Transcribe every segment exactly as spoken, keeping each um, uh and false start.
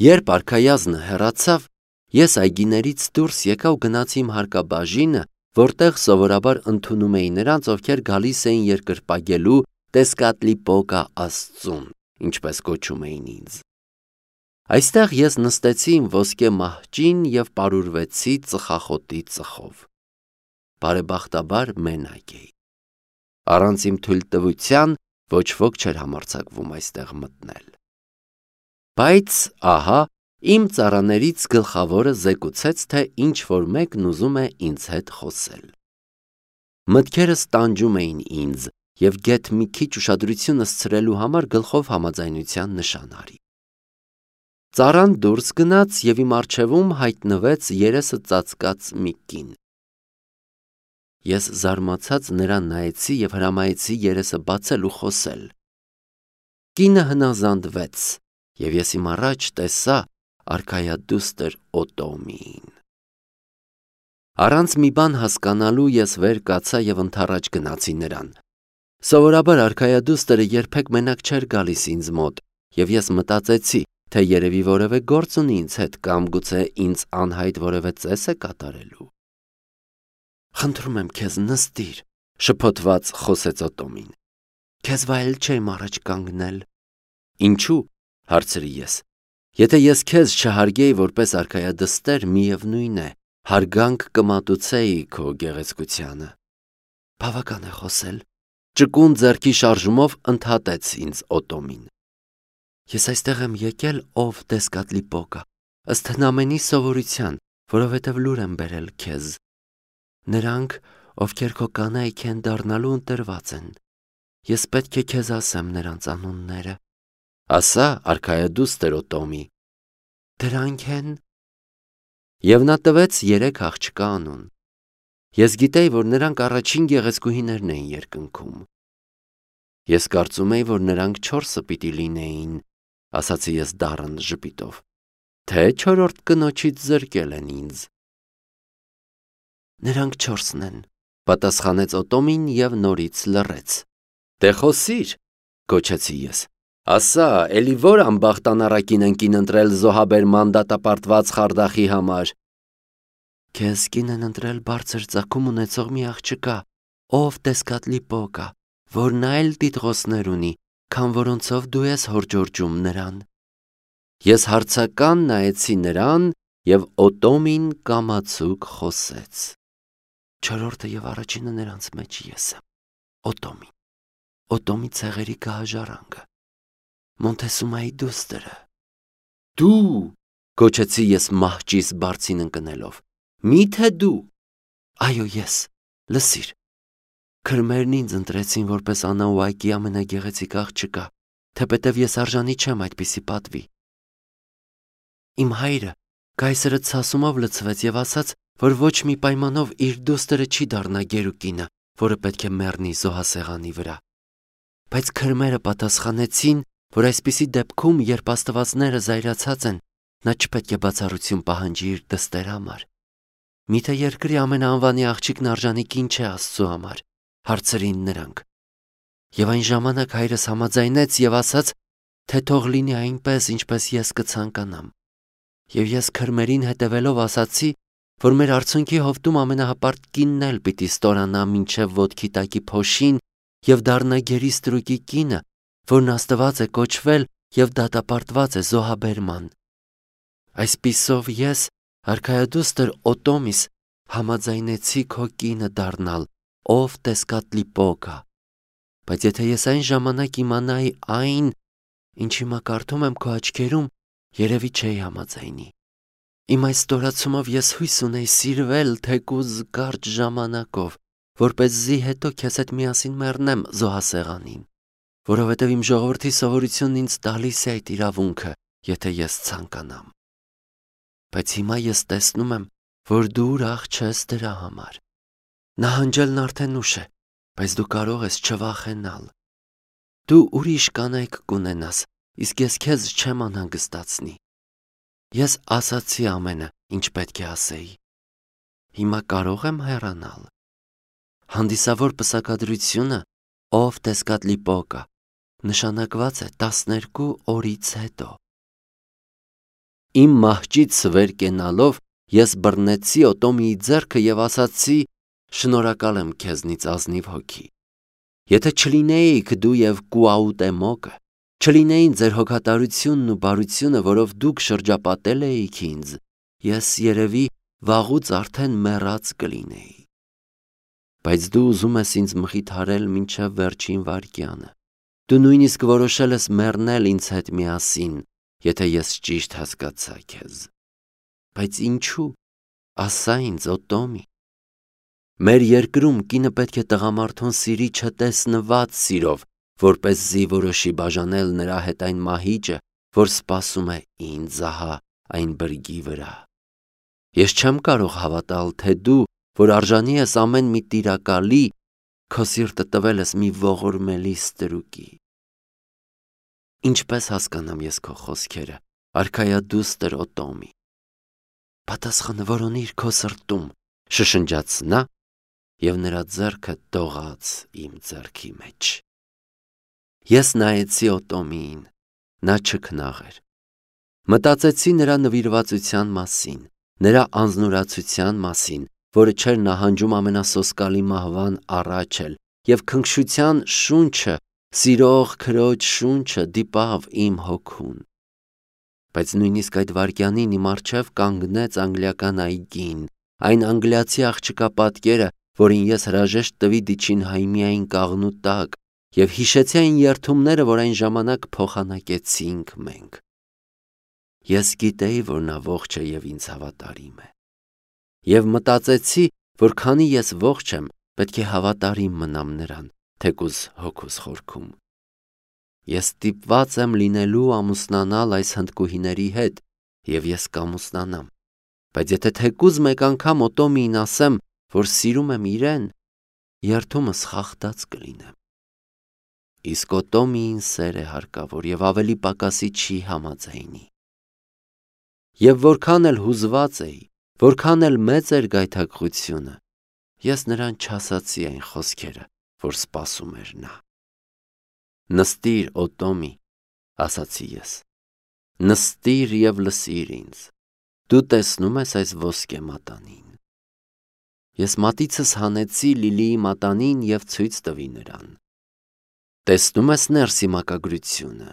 Երբ արքայազնը հեռացավ, ես այգիներից դուրս եկա ու գնացի իմ հարկաբաժինը, որտեղ սովորաբար ընդունում էի նրանց, ովքեր գալիս էին երկրպագելու Տեսկատլիպոկա աստծուն, ինչպես կոչում էին ինձ։ Այստեղ ես նստեցի իմ ոսկե մահճին և պարուրվեցի ծխախոտի ծխով։ Բարեբախտաբար մենակ էի։ Առանց իմ թույլտվության ոչ ոք չէր համարձակվում այստեղ մտնել։ Բայց ահա իմ ծառաներից գլխավորը զեկուցեց, թե ինչ-որ մեկն ուզում է ինձ հետ խոսել։ Մտքերս տանջում էին ինձ և գեթ մի քիչ ուշադրությունս ցրելու համար գլխով համաձայնության նշան արի։ Ծառան դուրս գնաց և իմ առջևում հայտնվեց երեսը ծածկած մի կին։ Ես զարմացած նրան նայեցի և հրամայեցի երեսը բացել ու խոսել։ Կինը հնազանդվեց, և ես իմ առաջ տեսա արքայադուստր Օտոմիին։ Առանց մի բան հասկանալու ես վեր կացա և ընդառաջ գնացի նրան։ Սովորաբար արքայադուստրը երբեք մենակ չէր գալիս ինձ մոտ, և ես մտածեցի, թե երևի որևէ գործ ունի ինձ հետ կամ գուցե ինձ անհայտ որևէ ծես է կատարելու։ «Խնդրում եմ քեզ, նստիր», շփոթված խոսեց Օտոմին։ «Քեզ վայել չէի առաջ կանգնել»։ «Ինչու՞», հարցրի ես։ «Եթե ես քեզ չհարգեի որպես արքայադստեր, միևնույն է, հարգանք կմատուցեի քո գեղեցկությանը»։ «Բավական է խոսել», ճկուն ձեռքի շարժումով ընդհատեց ինձ Օտոմին։ «Ես այստեղ եմ եկել ով Տեսկատլիպոկա, ըստ հնամենի սովորության, որովհետև լուր եմ բերել քեզ։ Նրանք, ովքեր քո կանայք են դառնալու, ընտրված են։ Ես պետք է քեզ ասեմ նրանց անունները»։ «Ասա, արքայադուստր Օտոմի»։ «Դրանք են»։ Եվ նա տվեց երեք աղջկա անուն։ Ես գիտեի, որ նրանք առաջին գեղեցկուհիներն էին երկնքում։ «Ես կարծում էի, որ նրանք չորսը պիտի լինեին», ասացի ես դառն ժպիտով, «թե չորրորդ կնոջից զրկել են ինձ»։ «Նրանք չորսն են», պատասխանեց Օտոմին և նորից լռեց։ «Դե խոսիր», գոչեցի ես։ «Ասա, էլի որ անբախտ անառակին են կին ընտրել զոհաբերման դատապարտված խարդախի համար»։ «Քեզ կին են ընտրել բարձր ծագում ունեցող մի աղջկա, ով Տեսկատլիպոկա, որն այլ տիտղոսներ ունի, քան որոնցով դու ես հորդորջում նրան»։ Ես հարցական նայեցի նրան, և Օտոմին կամացուկ խոսեց։ «Չորրորդը և առաջինը նրանց մեջ ես եմ, Օտոմին, Օտոմի ցեղերի գահաժառանգը, Մոնտեսումայի դուստրը»։ «Դու», գոչեցի ես մահճիս բարձին ընկնելով, «մի՞թե դու»։ «Այո, ես, լսիր, քրմերն ինձ ընտրեցին որպես Անաուակի ամենագեղեցիկ աղջկա, թեպետև ես արժանի չեմ այդպիսի պատվի։ Իմ հայրը կայսրը ցասումով լցվեց և ասաց, որ ոչ մի պայմանով իր դուստրը չի դառնա գերուկինը, որը պետք է մեռնի զոհասեղանի վրա։ Բայց քրմերը պատասխանեցին, որ այսպիսի դեպքում, երբ աստվածները զայրացած են, նա չպետք է բացառություն պահանջի իր դստեր համար։ Միթե երկրի ամենաանվանի աղջիկն արժանի կին չէ Աստծու համար, հարցրին նրանք։ Եվ այն ժամանակ հայրս համաձայնեց և ասաց, թե թող լինի այնպես, ինչպես ես կցանկանամ։ Եվ ես քրմերին հետևելով ասացի, որ մեր արցունքի հովտում ամենահպարտ կինն էլ պիտի ստորանա մինչև ոտքի տակի փոշին և դառնա գերի ստրուկի կինը, որն աստված է կոչվել և դատապարտված է զոհաբերման։ Այսպիսով ես, արքայադուստր Օտոմիս, համաձայնեցի քո կինը դառնալ, ով Տեսկատլիպոկա։ Բայց եթե ես այն ժամանակ իմանայի այն, ինչ հիմա կարդում եմ քո աչքերում, երևի չէի համաձայնի։ Իմ այս ստորացումով ես հույս ունեի սիրվել թեկուզ կարճ ժամանակով, որպեսզի հետո քեզ հետ միասին մեռնեմ զոհասեղանին, որովհետև իմ ժողովրդի սովորությունն ինձ տալիս է այդ իրավունքը, եթե ես ցանկանամ։ Բայց հիմա ես տեսնում եմ, որ դու ուրախ չես դրա համար։ Նահանջելն արդեն ուշ է, բայց դու կարող ես չվախենալ։ Դու ուրիշ կանայք կունենաս, իսկ ես քեզ չեմ անհանգստացնի։ Ես ասացի ամենը, ինչ պետք է ասեի։ Հիմա կարող եմ հեռանալ։ Հանդիսավոր պսակադրությունը, ով Տեսկատլիպոկա, նշանակված է տասներկու օրից հետո։ Իմ մահճից վեր կենալով ես բռնեցի Օտոմիի ձեռքը և ասացի. «Շնորհակալ եմ քեզնից ազնիվ հոգի։ Եթե չլինեիք դու և Կուաուտեմոկը, չլինեին ձեր հոգատարությունն ու բարությունը, որով դուք շրջապատել էիք ինձ, ես երևի վաղուց արդեն մեռած կլինեի։ Բայց դու ուզում ես ինձ մխիթարել մինչև վերջին վայրկյանը։ Դու նույնիսկ որոշել ես մեռնել ինձ հետ միասին, եթե ես ճիշտ հասկացա քեզ։ Բայց ինչու՞, ասա ինձ, Օտոմի։ Մեր երկրում կինը պետք է տղամարդուն սիրի չտեսնված սիրով, որպեսզի որոշի բաժանել նրա հետ այն մահիճը, որ սպասում է ինձ ահա այն բրգի վրա։ Ես չեմ կարող հավատալ, թե դու, որ արժանի ես ամեն մի տիրակալի, քո սիրտը տվել ես մի ողորմելի ստրուկի։ Ինչպես հասկանամ ես քո խոսքերը, արքայադուստր Օտոմի։ Պատասխանը որոնիր քո սրտում, շշնջաց նա, և նրա ձեռքը դողաց իմ ձեռքի մեջ։ Ես նայեցի Օտոմիին, նա չքնաղ էր։ Մտածեցի նրա նվիրվածության մասին, նրա անձնուրացության մասին, որը չէր նահանջում ամենասոսկալի մահվան առաջ էլ, և քնքշության շունչը, սիրող քրոջ շունչը դիպավ իմ հոգուն։ Բայց նույնիսկ այդ վայրկյանին իմ առջև կանգնեց անգլիական այգին, այն անգլիացի աղջկա պատկերը, որին ես հրաժեշտ տվի Դիչինհայմիային կաղնու տակ, և հիշեցի այն երդումները, որ այն ժամանակ փոխանակեցինք մենք։ Ես գիտեի, որ նա ողջ է և ինձ հավատարիմ է։ Եվ մտածեցի, որ քանի ես ողջ եմ, պետք է հավատարիմ մնամ նրան, թեկուզ հոգուս խորքում։ Ես ստիպված եմ լինելու ամուսնանալ այս հնդկուհիների հետ, և ես կամուսնանամ, բայց եթե թեկուզ մեկ անգամ Օտոմիին ասեմ, որ սիրում եմ իրեն, երդումս խախտած կլինեմ։ Իսկ Օտոմիին սեր է հարկավոր և ավելի պակասի չի համաձայնի։ Եվ որքան էլ հուզված էի, որքան էլ մեծ էր գայթակղությունը, ես նրան չասացի այն խոսքերը, որ սպասում էր նա։ Նստիր, Օտոմի, ասացի ես, նստիր և լսիր ինձ, դու տեսնում ես այս ոսկե մատանին։ Ես մատիցս հանեցի Լիլիի մատանին և ցույց տվի նրան։ Տեսնում ես ներսի մակագրությունը։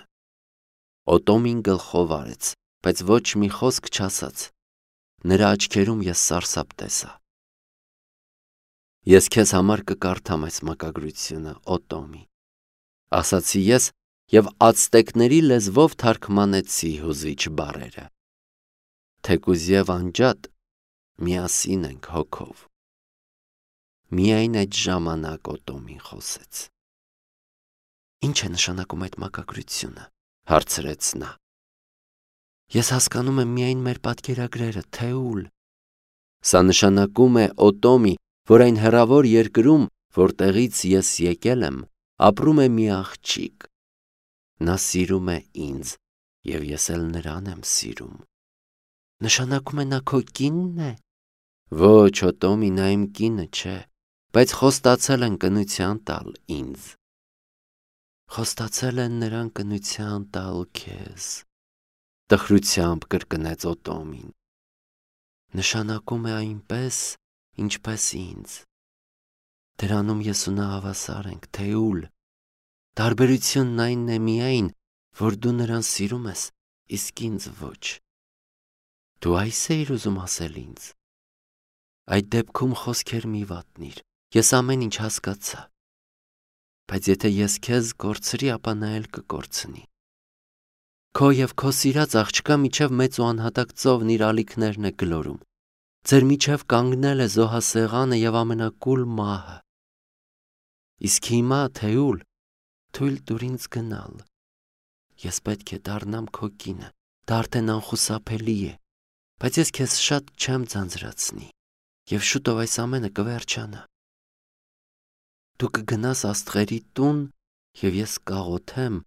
Օտոմին գլխով արեց, բայց ոչ մի խոսք չասաց։ Նրա աչքերում ես սարսափ տեսա։ Ես քեզ համար կկարդամ այս մակագրությունը, Օտոմի, ասացի ես և ացտեկների լեզվով թարգմանեցի հուզիչ բառերը։ Թեկուզ և անջատ միասին ենք հոգով։ Միայն այդ ժամանակ Օտոմին խոսեց։ Ինչ է նշանակում այդ մակագրությունը, հարցրեց նա։ Ես հասկանում եմ միայն մեր պատկերագրերը, Թեուլ։ Սա նշանակում է, Օտոմի, որ այն հեռավոր երկրում, որտեղից ես եկել եմ, ապրում է մի աղջիկ։ Նա սիրում է ինձ, և ես էլ նրան եմ սիրում։ Նշանակում է նա քո կինն է։ Ոչ, Օտոմի, նա իմ կինը չէ, բայց խոստացել են կնության տալ ինձ։ Խոստացել են նրան կնության տալ քեզ, տխրությամբ կրկնեց Օտոմին։ Նշանակում է այնպես, ինչպես ինձ։ Դրանում ես ու նա հավասար ենք, Թեուլ։ Տարբերությունն այն է միայն, որ դու նրան սիրում ես, իսկ ինձ ոչ։ Դու այս էիր ուզում ասել ինձ։ Այդ դեպքում խոսքեր մի վատնիր, ես ամեն ինչ հասկացա։ Բայց եթե ես քեզ կորցրի, ապա նա էլ կկորցնի։ Քո և քո սիրած աղջկա միջև մեծ ու անհատակ ծովն իր ալիքներն է գլորում։ Ձեր միջև կանգնել է զոհասեղանը և ամենակուլ մահը։ Իսկ հիմա, Թեուլ, թույլ տուր ինձ գնալ։ Ես պետք է դառնամ քո կինը, դա արդեն անխուսափելի է, բայց ես քեզ շատ չեմ ձանձրացնի, և շուտով այս ամենը կվերջանա։ Դու կգնաս աստղերի տուն, և ես կաղոթեմ,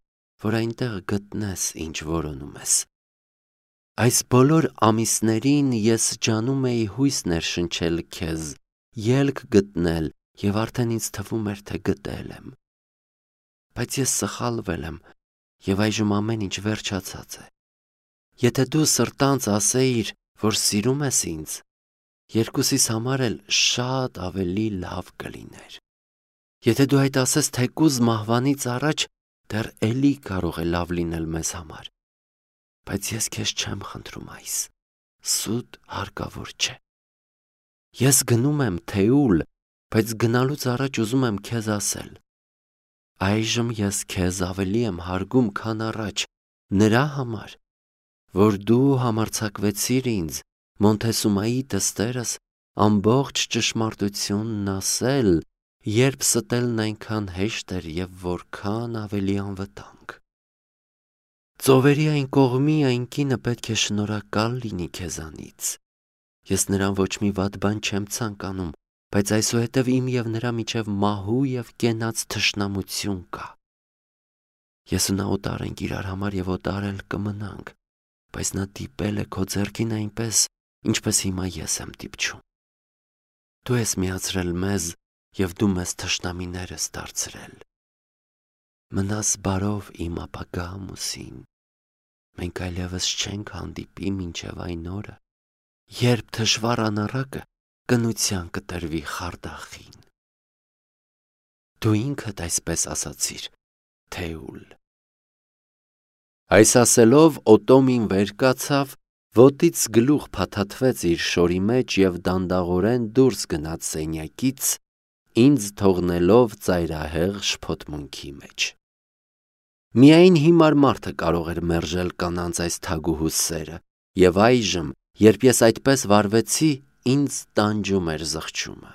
որ այնտեղ գտնես, ինչ որոնում ես։ Այս բոլոր ամիսներին ես ջանում էի հույս ներշնչել քեզ, ելք գտնել, և արդեն ինձ թվում էր, թե գտել եմ։ Բայց ես սխալվել եմ, և այժմ ամեն ինչ վերջացած է։ Եթե դու սրտանց ասեիր, որ սիրում ես ինձ, երկուսիս համար էլ շատ ավելի լավ կլիներ։ Եթե դու այդ ասես թեկուզ մահվանից առաջ, դեռ էլի կարող է լավ լինել մեզ համար։ Բայց ես քեզ չեմ խնդրում այս, սուտ հարկավոր չէ։ Ես գնում եմ Թեուլ, բայց գնալուց առաջ ուզում եմ քեզ ասել. այժմ ես քեզ ավելի եմ հարգում, քան առաջ, նրա համար, որ դու համարձակվեցիր ինձ, Մոնթեսումայի դստերս, ամբողջ ճշմարտությունն ասել, երբ ստելն այնքան հեշտ էր և որքան ավելի անվտանգ։ Ծովերի այն կողմի այն կինը պետք է շնորհակալ լինի քեզանից։ Ես նրան ոչ մի վատ բան չեմ ցանկանում, բայց այսուհետև իմ և նրա միջև մահու և կենաց թշնամություն կա։ Ես ու նա օտար ենք իրար համար և օտար էլ կմնանք, բայց նա դիպել է քո ձեռքին այնպես, ինչպես հիմա ես եմ դիպչում։ Դու ես միացրել մեզ և դու մեզ թշնամիներ ես դարձրել։ Մնաս բարով իմ ապագա ամուսին, մենք այլևս չենք հանդիպի մինչև այն օրը, երբ թշվառ անառակը կնության կտրվի խարդախին։ Դու ինքդ այսպես ասացիր, Թեուլ։ Այս ասելով Օտոմին վեր կացավ, ոտից գլուխ փաթաթվեց իր շորի մեջ և դանդաղորեն դուրս գնաց սենյակից, ինձ թողնելով ծայրահեղ շփոթմունքի մեջ։ Միայն հիմար մարդը կարող էր մերժել կանանց այս թագուհուս սերը, և այժմ, երբ ես այդպես վարվեցի, ինձ տանջում էր զղջումը։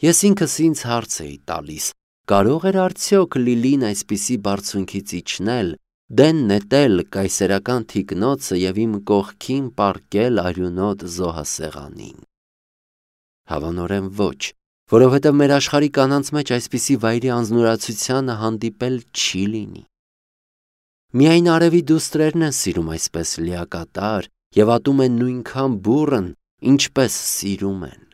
Ես ինքս ինձ հարց էի տալիս. կարող էր արդյոք Լիլին այսպիսի բարձունքից իջնել, դեն նետել կայսերական թիկնոցը և իմ կողքին պառկել արյունոտ զոհասեղանին։ Հավանորեն ոչ, որովհետև մեր աշխարհի կանանց մեջ այսպիսի վայրի անձնուրացությանը հանդիպել չի լինի։ Միայն արևի դուստրերն են սիրում այսպես լիակատար և ատում են նույնքան բուռն, ինչպես սիրում են։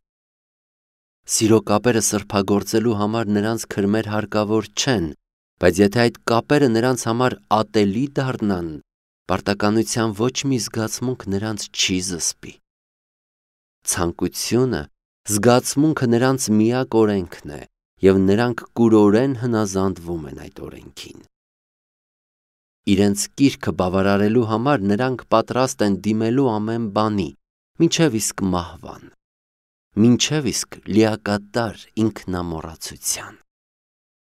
Սիրո կապերը սրբագործելու համար նրանց քրմեր հարկավոր չեն, բայց եթե այդ կապերը նրանց համար ատելի դառնան, պարտականության ոչ մի զգացմունք նրանց չի զսպի։ Ցանկությունը զգացմունքը նրանց միակ օրենքն է, և նրանք կուրորեն հնազանդվում են այդ օրենքին։ Իրենց կիրքը բավարարելու համար նրանք պատրաստ են դիմելու ամեն բանի, մինչև իսկ մահվան, մինչև իսկ լիակատար ինքնամոռացության։